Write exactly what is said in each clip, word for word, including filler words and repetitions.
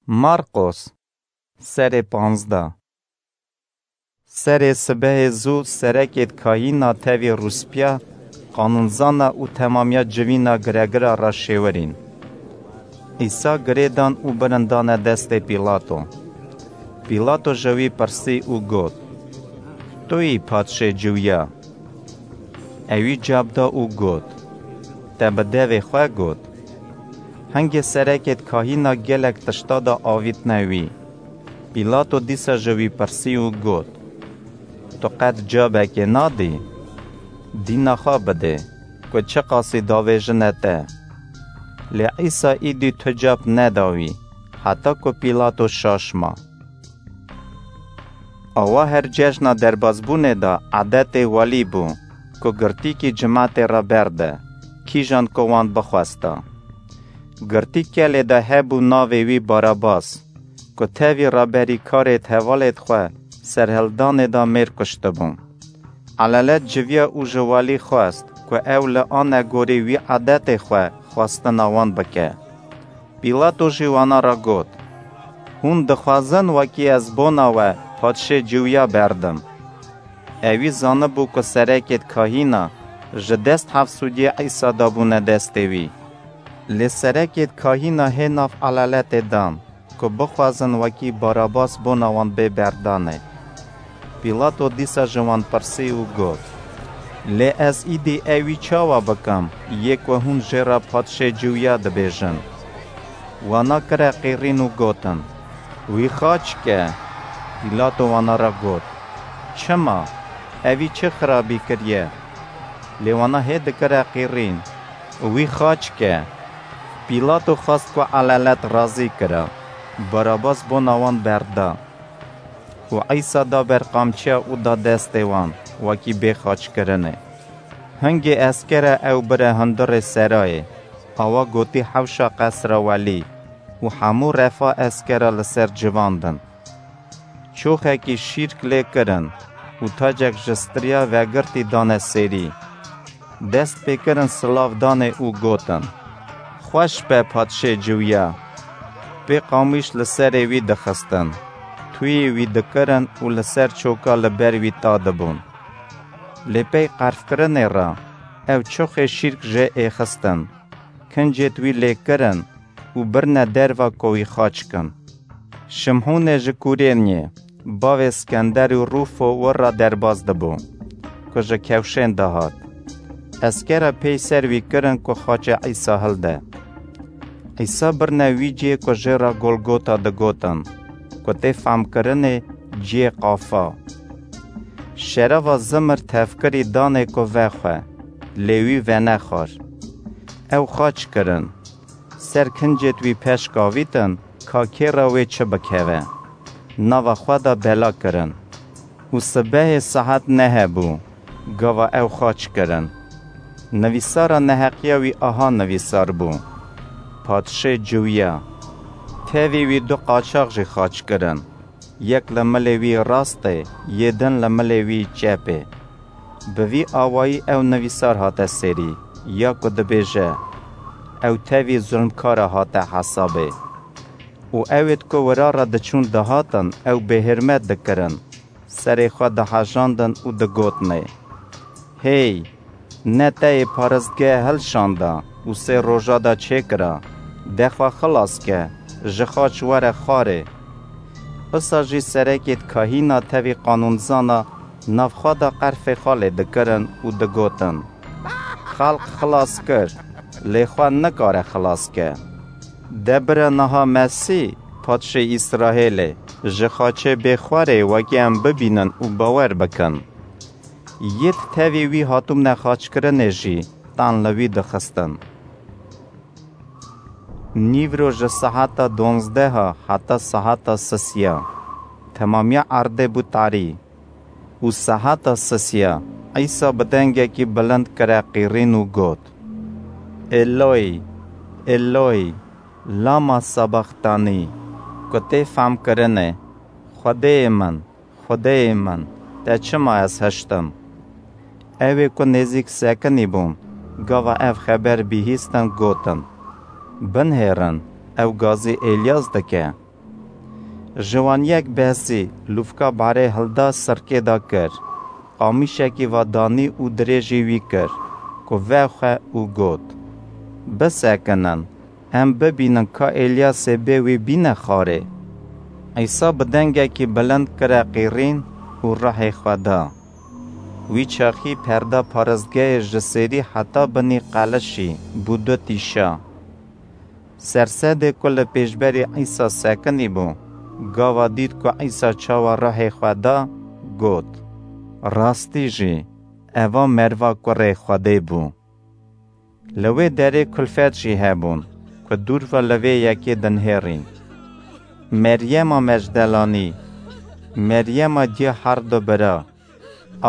Marqos, serê panzdeh. Serê sibehê zû serekêd kahîna tevî rûspîya, qanûnzana û temamiya civîna giregira re şêwirîn. Îsa girê dan û birin dane destê Pîlato. Pîlato ji wî pirsî û got, "Tu yî padşê Ciwiya?" Ewî cab da û got, "Te bi devê xwe got." Hingê serekêd kahîna gelek tişta da avîtine wî. Pîlato dîsa ji wî pirsî û got, "Tu qet cabekê nadî? Dîna xwe bidê, ku çiqasî davêjine te." Lê Îsa îdî tu cab neda wî, heta ku Pîlato şaş ma. Awa her cejna derbazbûnê de edetê welî bû, ku girtîkî cimatê re berde, kîjan ku wan bixwesta. Girtîkelê de hebû navê wî Barabas, ku tevî reberîkarêd hevalêd xwe serhildanê de mêr kuştibû. Elelet civiya û ji welî xwest, ku ew li anegorî wî edetê xwe xwestina wan bike. Pîlato jî wana re got, "Hûn dixwazin wekî ez bona we padşê Ciwiya berdim?" Ewî zanibû ku serekêd kahîna ji dest hevsûdiyê Îsa dabûne destê wî. Lê serekêd kahîna hê nav eleletê dan, ku bixwazin wekî Barabas bona wan bê berdanê. Pîlato dîsa ji wan pirsî û got, "Lê ez îdî ewî çawa bikim, yê ku hûn jê re padşê Ciwiya dibêjin?" Wana kire qîrîn û gotin, "Wî xaç ke." Pîlato wana re got, "Çima? Evî çi xirabî kiriye?" Lê wana hê dikire qîrîn, "Wî xaç ke." Pîlato xwest ku elelet razî kira, Barabas bona wan berda. Û Îsa da ber qamçiya û da destê wan, wekî bê xaçkirinê. Hingê eskera ew bire hundirê serayê, awa gotî hewşa qesra welî û hemû refa eskera li ser civandin. Çoxekî şîrk lê kirin û tacek ji striya vegirtî dane sêrî. Dest pê kirin silav danê û gotin, "Xweş be padşê Ciwiya." Pê qamîş li serê wî dixistin, tuyê wî dikirin û li ser çoka li ber wî ta dibûn. Lê pey qerfkirinê re ew çoxê şîrk jê êxistin, kincêd wî lê kirin û birine derva ku wî xaç kin. Şimhûnê ji Kurêniyê, bavê Skender û Rûfo wir re derbas dibû, ku ji kewşên de hat. Eskera pey ser wî kirin ku xaçê Îsa hilde. Îsa birine wî cihê ku jê re Golgota digotin, ku tê femkirinê cihê qafa. Şerava zimir tevkirî danê ku vexwe, lê wî venexwar. Ew xaç kirin. Ser kincêd wî peşk avîtin, ka kê re wê çi bikeve. Nava xwe de bela kirin. Û sibehê saet neh hebû, gava ew xaç kirin. Nivîsara neheqiya wî aha nivîsar bû, "Padşê Ciwiya." Tevî wî du qaçax jî xaç kirin, yek li milê wî rastê, yê din li milê wî çepê. Bi vî awayî ew nivîsar hate serî, ya ku dibêje, "Ew tevî zulmkara hate hesabê." Û ewêd ku wira re diçûn dihatin, ew bêhirmet dikirin, serê xwe dihejandin û digotinê, "Hey, ne te yê paristgehe hilşanda û sê roja de çêkira, de xwe xilas ke, ji xaç were xwarê." Wisa jî serekêd kahîna tevî qanûnzana nav xwe de qerfê xwe lê dikirin û digotin, "Xelq xilas kir, lê xwe nikare xilas ke. De bire niha Mesîh, padşê Îsraêlê, ji xaçê bê xwarê wekî em bibînin û bawer bikin." Yêd tevî wî hatibûne xaçkirinê jî tan li wî dixistin. Nîvro ji seheta donzdeha heta seheta sisiya, temamiya erdê bû tarî. Û seheta sisiya, Îsa bi dengekî bilind kire qîrîn û got, "Eloy, Eloy, lama sabaxtanî?" Ku tê femkirinê, "Xwedêyê min, Xwedêyê min, te çima ez hiştim?" Ew ê ku nêzîk sekinî bûn, gava ev xeber bihîstin, gotin, "Binihêrin, ew gazî Êlyas dike." Ji wan yek behsî, lûfka barê hilda, sirkê da kir. Qamîşekî va danî û dirêjî wî kir, ku vexwe û got, "Bisekinin, em bibînin ka Êlyasê bê wî bîne xarê." Îsa bi dengekî bilind kire qîrîn û ruhê xwe da. Wî çaxî perda paristgehê ji sêrî heta binî qelişî bû du tîşa. Sersedê ku li pêşberî Îsa sekinî bû, gava dît ku Îsa çawa ruhê xwe da, got, "Rastî jî, eva merva kurê Xwedê bû." Li wê derê kulfet jî hebûn, ku dûr ve li vê yekê dinihêrîn. Meryema Mecdelanî, Meryema diya herdu bira,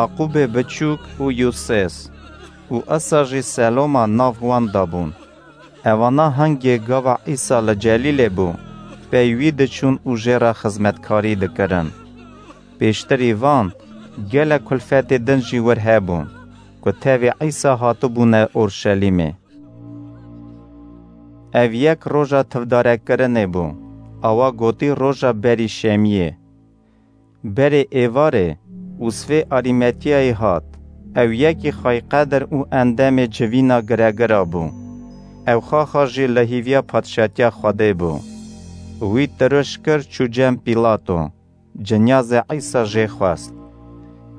Aqûbê biçûk û Yûsês û isa jî Seloma nav wan de bûn. Evana hingê gava Îsa li Celîlê bû, pey wî diçûn û jê re xizmetkarî dikirin. Pêştirî van, gelek kulfetê din jî wir hebûn, ku tevî Îsa hatibûne Orşelîmê. Ev yek roja tivdarekirinê bû, awa gotî roja berî şemiyê. Berê êvarê, Ûsvê Arîmetiyayî hat, ew yekî xweyqedir û endemê civîna giregira bû. Ew xaxa jî li hîviya padşatiya Xwedê bû. Wî tiruş kir, çû cem Pîlato, cinyazê Îsa jê xwest.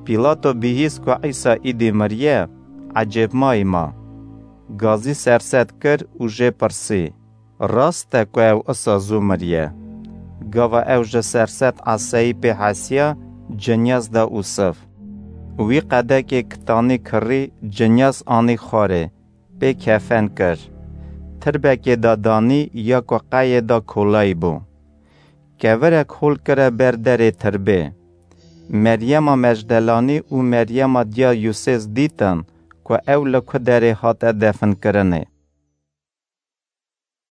Pîlato bihîst ku Îsa îdî miriye, ecêbmayî ma. Gazî serset kir û jê pirsî, "Rast e ku ew isa zû miriye?" Gava ew ji serset eseyî pê hesiya, cinyaz da Ûsiv. Wî qedekê kitanî kirî, cinyaz anî xwarê, pê kefen kir. Tirbekê da danî ya ku qeyê da kolayî bû. Kevirek hol kire ber derê tirbê. Meryema Mecdelanî û Meryema diya Yûsês dîtin ku ew li ku derê hate definkirinê.